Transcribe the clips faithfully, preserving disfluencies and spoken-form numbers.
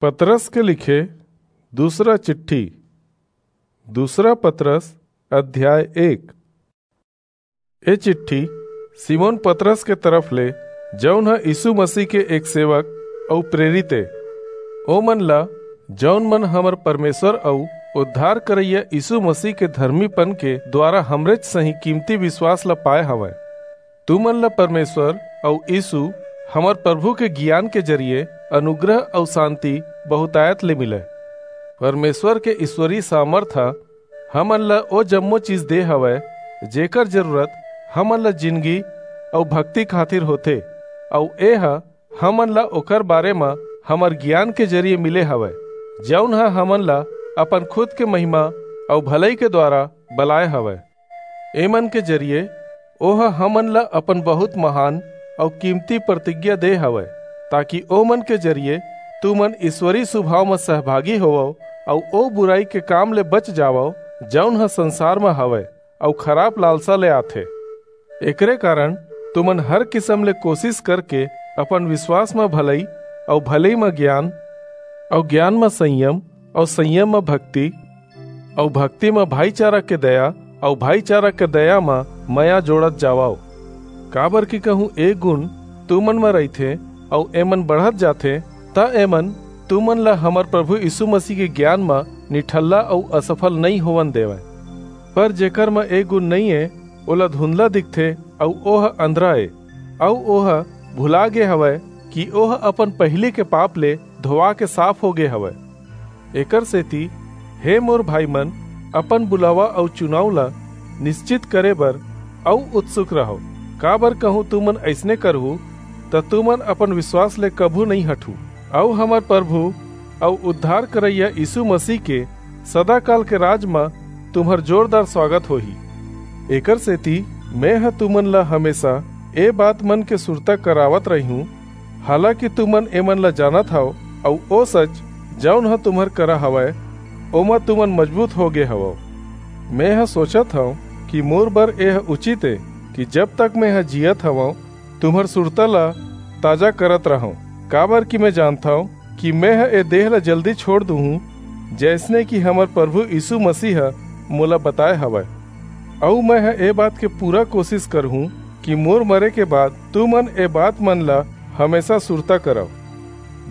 पतरस के लिखे दूसरा चिट्ठी। दूसरा पतरस, अध्याय एक। ए चिट्ठी सिमोन पतरस के तरफ ले, जऊन ह यीसू मसीह के एक सेवक अऊ प्रेरित ए, ओमन ला, जऊन मन हमर परमेसर अऊ उद्धार करइया यीसू मसीह के धरमीपन के दुवारा हमरेच सहीं कीमती बिसवास ला पाय हवंय। तुमन ला परमेसर अऊ यीसू हमर परभू के गियान के जरिये अनुग्रह अऊ सांति बहुतायत ले मिलय। परमेसर के ईस्वरीय सामरथ ह हमन ला ओ जम्मो चीज दे हवय, जेकर जरूरत हमन ला जिनगी अऊ भक्ति खातिर होथे, अऊ ए ह हमन ला ओकर बारे म हमर गियान के जरिये मिले हवय, जऊन ह हमन ला अपन खुद के महिमा अऊ भलई के दुवारा बलाय हवय। एमन के जरिये ओह हमन ला अपन बहुंत महान अऊ कीमती परतिज्ञा दे हवय, ताकि ओमन के जरिये तुमन ईस्वरीय सुभाव म सहभागी होवव अऊ ओ बुरई के काम ले बच जावव, जऊन ह संसार म हवय अऊ खराप लालसा ले आथे। एकरे कारन तुमन हर किसम ले कोसिस करके अपन बिसवास म भलई अऊ भलई म गियान अऊ गियान म संयम अऊ संयम म भक्ति अऊ भक्ति म भाईचारा के दया अऊ भाईचारा के दया म मया जोड़त जावव। काबरकि कहूं ए गुन तुमन म रहिथे अऊ एमन बढ़त जाथे, त एमन तुमन ला हमर परभू यीसू मसीह के गियान म निठल्ला अऊ असफल नइं होवन देवंय। पर जेकर म ए गुन नइं ए, ओला धुंधला दिखथे अऊ ओह अंधरा ए, अऊ ओह भुला गे हवय कि ओह अपन पहिली के पाप ले धोवा के साफ हो गे हवय। एकरसेति, हे मोर भाईमन, अपन बुलावा अऊ चुनाव ला निस्चित करे बर अऊ उत्सुक रहव, काबर कहूं तुमन अइसने करहू, त तुमन अपन बिसवास ले कभू नइं हटहू, अऊ हमर परभू अऊ उद्धार करइया यीसू मसीह के सदाकाल के राज म तुम्हर जोरदार सुवागत होही। एकरसेति, मेंह तुमन ला हमेसा ए बातमन के सुरता करावत रहिहूं, हालाकि तुमन एमन ला जानत हव, अऊ ओ सच, जऊन ह तुम्हर करा हवय, ओमा तुमन मजबूत हो गे हवव। मेंह सोचत हंव कि मोर बर एह उचित ए कि जब तक मेंह जीयत हवंव, तुम्हर सुरता ला ताजा करत रहंव, काबरकि में जानथंव कि मेंह ए देह ला जल्दी छोंड़ दूहूं, जइसने कि हमर परभू यीसू मसीह ह मोला बताय हवय। अऊ मेंह ए बात के पूरा कोसिस करहूं कि मोर मरे के बाद तुमन ए बातमन ला हमेसा सुरता करव।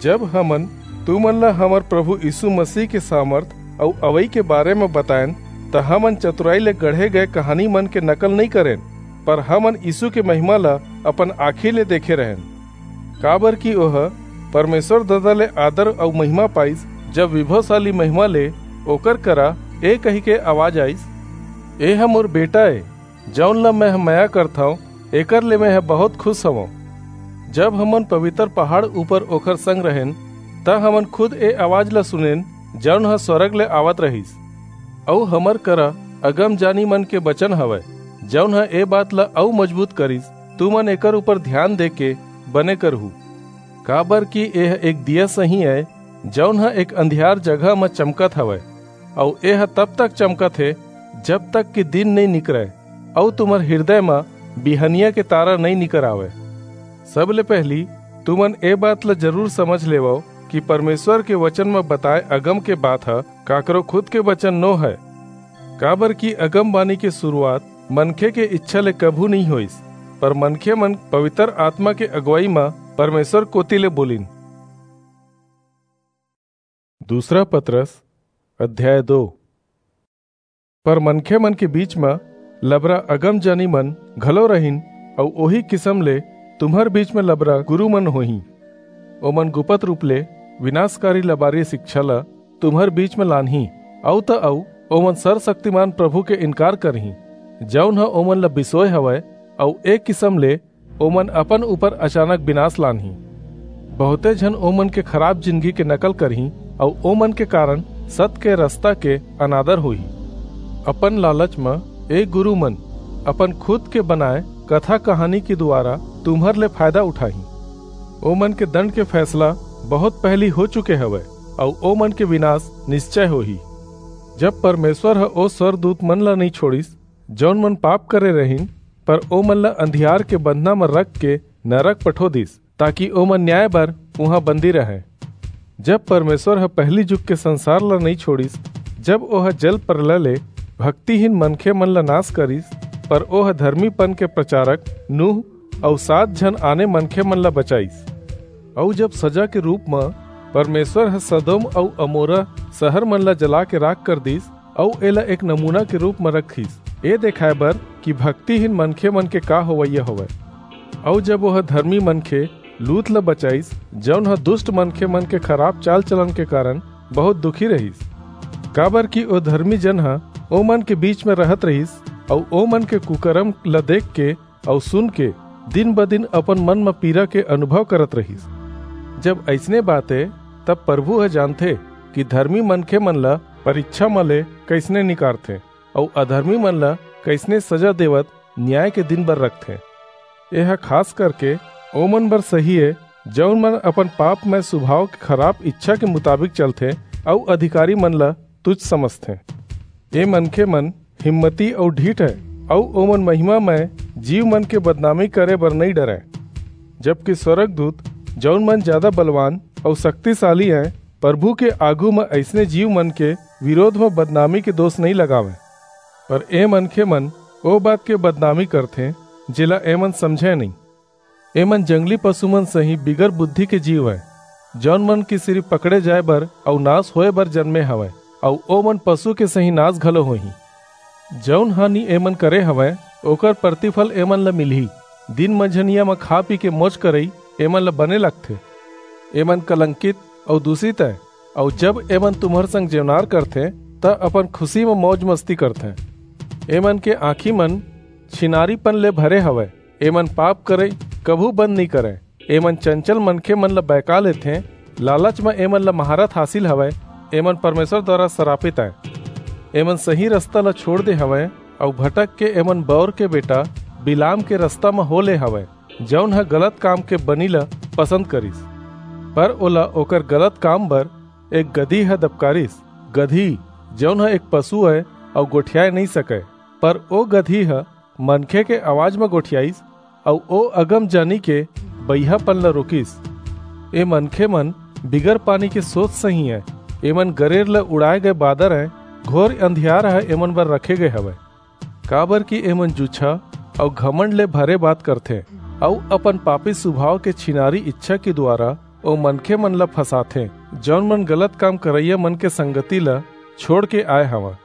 जब हमन तुमन ला हमर परभू यीसू मसीह के सामरथ अऊ अवई के बारे म बताएन, त हमन चतुरई ले गढ़े गय कहानीमन के नकल नइं करेन, पर हमन यीसू के महिमा ला अपन आंखी ले देखे रहेन। काबरकि ओह परमेसर ददा ले आदर अऊ महिमा पाईस, जब बिभवसाली महिमा ले ओकर करा ए कहिके अवाज आईस, "एह मोर बेटा ए, जऊन ला मेंह मया करथंव, एकर ले मेंह बहुंत खुस हवंव।" जब हमन पबितर पहाड़ ऊपर ओकर संग रहेन, त हमन खुद ए अवाज ला सुनेन, जऊन ह स्वरग ले आवत रहिस। अऊ हमर करा अगमजानीमन के बचन हवय, जऊन ह ए बात ला अऊ मजबूत करिस, तुमन एकर ऊपर धियान देके बने करहू। काबरकि एह एक दिया सहीं अय, जऊन ह एक अंधियार जगह म चमकत हवय, अऊ एह तब तक चमकत हे, जब तक कि दिन नइं निकरय, अऊ तुम्हर हिरदय म बिहनिया के तारा नइं निकर आवय। सबले पहिली, तुमन ए बात ल जरूर समझ लेवव कि परमेसर के बचन म बताय अगम के बात ह काकरो खुद के बचन नो हय, काबरकि अगमबानी के सुरूआत मनखे के ईछा ले कभू नइं होईस, पर मनखेमन पबितर आतमा के अगुवई म परमेसर कोति ले बोलिन। दूसरा पतरस, अध्याय दो। पर मनखेमन के बीच म लबरा अगमजानीमन घलो रहिन, अऊ ओही किसम ले तुम्हर बीच म लबरा गुरूमन होहीं। ओमन गुपत रूप ले बिनासकारी लबारी सिकछा ल तुम्हर बीच म लानहीं, अऊ त अऊ ओमन सरसक्तिमान परभू के इनकार करहीं, जऊन ह ओमन ल बिसोय हवय, अऊ ए किसम ले ओमन अपन ऊपर अचानक बिनास लानहीं। बहुंते झन ओमन के खराप जिनगी के नकल करहीं, अऊ ओमन के कारन सत के रसता के अनादर होही। अपन लालच म ए गुरूमन अपन खुद के बनाय कथा-कहानी के दुवारा तुम्हर ले फायदा उठाहीं। ओमन के दंड के फैसला बहुंत पहिली हो चुके हवय, अऊ ओमन के बिनास निस्चय होही। जब परमेसर ह ओ स्वरदूतमन ला नइं छोंड़िस, जऊन मन पाप करे रहिन, पर ओमन ला अंधियार के बंधना म रखके नरक पठो दीस, ताकि ओमन न्याय बर उहां बंदी रहंय। जब परमेश्वर ह पहली जुग के संसार ला नइ छोड़िस, जब ओह जल प्रलय ले भक्तिहीन मनखे मन ला नाश करिस, पर ओह धर्मीपन के प्रचारक नूह अऊ सात झन आने मनखे मन ला बचाइस। अऊ जब सजा के रूप म परमेश्वर ह सदोम अऊ अमोरा शहर मन ला जला के राख कर दिस, अऊ एला एक नमूना के रूप म रखिस, ए देखाय बर कि भक्तिहीन मनखे मन के का होवइया होवय। अऊ जब ओह धर्मी मनखे लूत ल बचाइस, जऊन ह दुष्ट मनखे मन के खराब चाल चलन के कारण बहुत दुखी रहिस, काबर कि ओ धर्मी जन ह ओमन के बीच म रहत रहिस, अऊ ओमन के कुकरम ल देख के अऊ सुन के दिन ब दिन अपन मन म पीरा के अनुभव करत रहिस। जब अइसने बात ए, तब प्रभु ह जानथे कि धर्मी मनखे मन ल परीक्षा म ले कइसने निकारथे अऊ अधर्मी मन ल कइसने सजा देवत न्याय के दिन बर रखथे। एह खास करके ओमन बर सही ए, जऊन मन अपन पापमय स्वभाव के खराब इच्छा के मुताबिक चलथे अऊ अधिकारी मन ल तुच्छ समझथे। ए मनखे मन हिम्मती अऊ ढीठ हे, अऊ ओमन महिमामय जीव मन के बदनामी करे बर नइ डरय। जबकि स्वर्गदूत, जऊन मन ज्यादा बलवान अऊ शक्तिशाली हे, प्रभु के आगू म अइसने जीव मन के विरोध म बदनामी के दोष नइ लगावंय। पर ए मनखे मन ओ बात के बदनामी करथें, जेला एमन समझय नइं। एमन जंगली पशु मन सहीं बिगर बुद्धि के जीव अय, जऊन मन के सिरिफ पकड़े जाय बर अऊ नाश होय बर जनमे हवंय, अऊ ओमन पशु के सहीं नाश घलो होहीं। जऊन हानि एमन करे हवंय, ओकर प्रतिफल एमन ल मिलही। दिन मंझनिया म खा पी के मौज करई एमन ल बने लगथे। एमन कलंकित अऊ दूषित अय, अऊ जब एमन तुम्हर संग जेवनार करथें, त अपन खुशी म मौज मस्ती करथें। एमन के आँखी मन छिनारीपन ले भरे हवय, एमन पाप करई कभू बंद नइं करंय। एमन चंचल मनखे मन ल बहका लेथें, लालच म एमन ल महारत हासिल हवय, एमन परमेश्वर दुवारा सरापित अंय। एमन सही रस्ता ल छोंड़ दे हवंय, अऊ भटक के एमन बौर के बेटा बिलाम के रस्ता म हो ले हवंय, जऊन ह गलत काम के बनी ल पसंद करिस। पर ओला ओकर गलत काम बर एक गदही ह दबकारिस, गदही, जऊन ह एक पशु अय अऊ गोठियाय नइं सकय। पर ओ गदही ह मनखे के अवाज म गोठियाइस, अऊ ओ अगमजानी के बइहापन ल रोकिस। ए मनखे मन बिगर पानी के सोत सहीं अंय, एमन गरेर ल उड़ाय गय बादर अंय, घोर अंधियार ह एमन बर रखे गय हवय। काबर कि एमन जुच्छा अऊ घमंड ले भरे बात करथें, अऊ अपन पापी स्वभाव के छिनारी इच्छा के दुवारा ओ मनखे मन ल फंसाथें, जऊन मन गलत काम करइया मन के संगति ल छोंड़ के आय हवंय।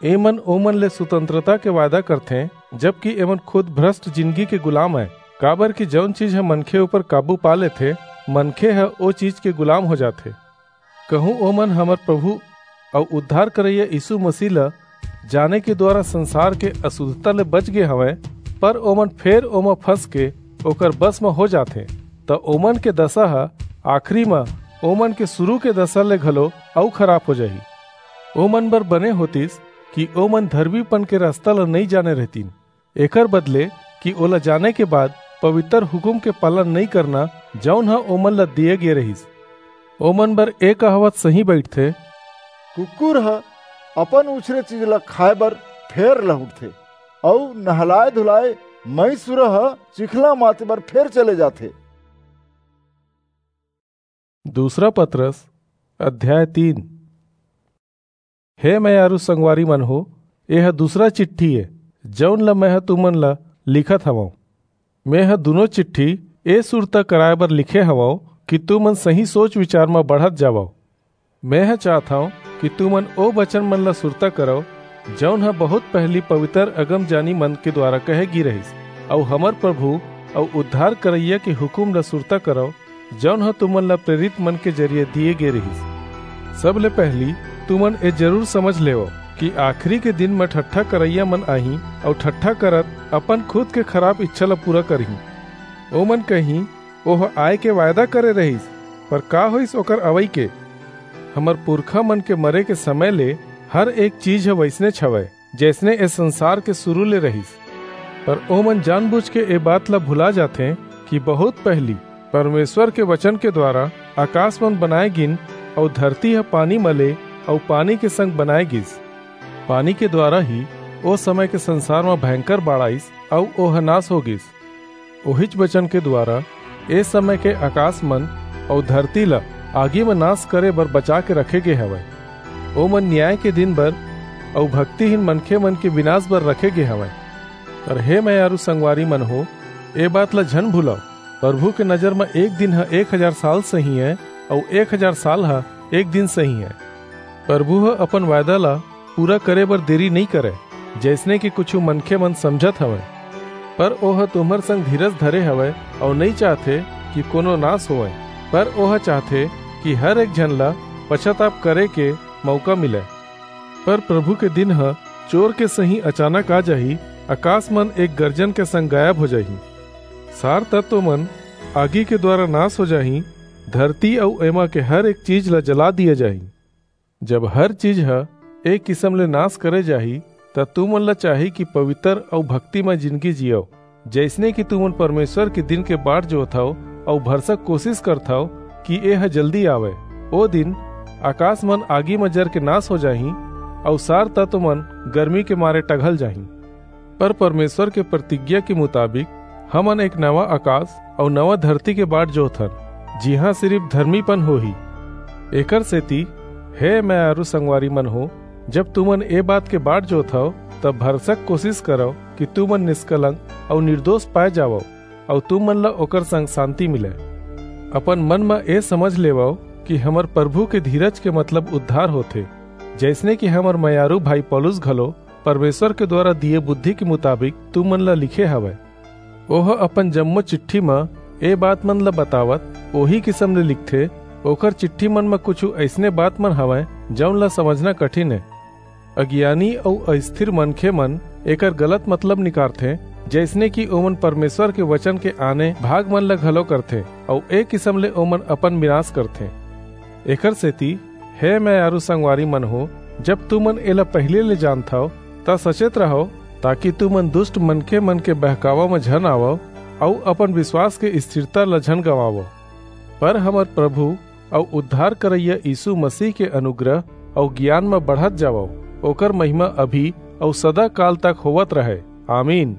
एमन ओमन ले स्वतंत्रता के वायदा करथें, जबकि एमन खुद भ्रष्ट जिनगी के गुलाम अंय, काबर कि जऊन चीज ह मनखे ऊपर काबू पा लेथे, मनखे ह ओ चीज के गुलाम हो जाथे। कहूं ओमन हमर प्रभु अऊ उद्धार करइया यीशु मसीह ल जाने के दुवारा संसार के अशुद्धता ले बच गे हवंय, पर ओमन फेर ओमा फंस के ओकर बस म हो जाथें, त ओमन के दसा ह आखिरी म ओमन के सुरू के दसा ले घलो अऊ खराप हो जाही। ओमन बर बने होतिस कि ओमन धर्मीपन के रस्ता ल नइं जाने रहतिन, एकर बदले कि ओला जाने के बाद पवित्र हुकूम के पालन नइं करना, जऊन ह ओमन ल दिये गे रहिस। ओमन बर ए कहावत सहीं बइठथे, कुकुर ह अपन उछरे चीज ल खाय बर फेर लहुटथे, अऊ नहलाय धुलाय मईसुरा ह चिखला माते बर फेर चले जाथे। दूसरा पतरस, अध्याय तीन। हे मयारू संगवारी मन हो, एह दूसरा चिट्ठी ए, जऊन ल मेंह तुमन ल लिखत हवंव। मेंह दूनों चिट्ठी ए सुरता कराय बर लिखे हवंव कि तुमन सही सोच विचार म बढ़त जावव। मेंह चाहत हंव कि तुमन ओ बचन मन ल सुरता करव, जऊन ह बहुत पहिली पवित्र अगमजानी मन के दुवारा कहे गे रहिस, अऊ हमर प्रभु अऊ उद्धार करइया के हुकूम ल सुरता करव, जऊन ह तुमन ल प्रेरित मन के जरिये दिये गे रिहिस। सबले पहिली तुमन ए जरूर समझ लेवव कि आखिरी के दिन म ठट्ठा करइया मन आहीं अऊ ठट्ठा करत अपन खुद के खराब इच्छा ल पूरा करहीं। ओमन कहीं, "ओह आय के वायदा करे रहिस, पर का होइस ओकर अवई के?" हमर पुरखा मन के मरे के समय ले हर एक चीज ह वइसनेच हवय, जइसने ए संसार के सुरू ले रहिस। पर ओमन जानबूझ के ए बात ल भुला जाथें कि बहुत पहिली परमेश्वर के वचन के दुवारा अकास मन बनाय गिन, अऊ धरती ह पानी म ले अऊ पानी के संग बनाय गिस। पानी के दुवारा ही ओ समय के संसार म भयंकर बाढ़ आईस, अऊ ओह नास हो गिस। ओहिच वचन के दुवारा ए समय के अकास मन अऊ धरती ल आगी म नाश करे बर बचा के रखे गे हवय। ओमन न्याय के दिन बर अऊ भक्तिहीन मनखे मन के विनाश बर रखे गे हवय। पर हे मयारू संगवारी मन हो, ए बात ला झन भूलव, प्रभु के नजर म एक दिन ह एक हजार साल सही ए, अऊ एक हजार साल ह एक दिन सही ए। प्रभु ह अपन वायदा ला पूरा करे बर देरी नइं करय, जइसने कि कुछू मनखे मन समझत हवंय, पर ओह तुम्हर संग धीरज धरे हवय अऊ नइं चाहथे कि कोनो नाश होवय, पर ओह चाहथे कि हर एक झन ला पछताप करे के मऊका मिलय। पर प्रभु के दिन ह चोर के सहीं अचानक आ जाही, अकास मन एक गर्जन के संग गायब हो जाही। सार तत्व मन आगी के द्वारा नाश हो जाही, धरती अऊ एमा के हर एक चीज ला जला दिया जाही। जब हर चीज ह एक किसम ले नाश करे जाही, त तुमन ला चाही कि पवित्र अऊ भक्तिमय जिनगी जियव, जइसने कि तुमन परमेसर के दिन के बाट जोहथव अऊ भरसक कोसिस करथव कि ए ह जल्दी आवय। ओ दिन अकास मन आगी म जर के नाश हो जाहीं अऊ सार तत्व मन गरमी के मारे टघल जाहीं। पर परमेसर के परतिज्ञा के मुताबिक हमन एक नवा अकास अऊ नवा धरती के बाट जोहथन, जिहां सिरिप धरमीपन होही। एकरसेति, हे मयारू संगवारी मन हो, जब तुमन ए बात के बाट जोहथव, तब भरसक कोसिस करव कि तुमन निसकलंक अऊ निरदोस पाय जावव, अऊ तुमन ला ओकर संग सांति मिलय। अपन मन म ए समझ लेवव कि हमर परभू के धीरज के मतलब उद्धार होथे, जइसने कि हमर मयारू भाई पौलुस घलो परमेसर के दुवारा दिये बुद्धि के मुताबिक तुमन ला लिखे हवय। ओह अपन जम्मो चिट्ठी म ए बात मन ला बतावत ओही किसम ले लिखथे। ओकर चिट्ठी मन म कुछू अइसने बात मन हवंय, जऊन ला समझना कठिन ए। अगियानी अऊ अस्थिर मनखे मन एकर गलत मतलब निकारथें, जइसने कि ओमन परमेसर के बचन के आने भाग मन ला घलो करथें, अऊ ए किसम ले ओमन अपन बिनास करथें। एकरसेति, हे मयारू संगवारी मन हो, जब तुमन एला पहिली ले जानथव, त सचेत रहव, ताकि तुमन दुस्ट मनखे मन के बहकावा म झन आवव, अऊ अपन बिसवास के स्थिरता ला झन गंवावव। पर हमर परभू अऊ उद्धार करइया यीसू मसीह के अनुग्रह अऊ गियान म बढ़त जावव। ओकर महिमा अभी अऊ सदा काल तक होवत रहय। आमीन।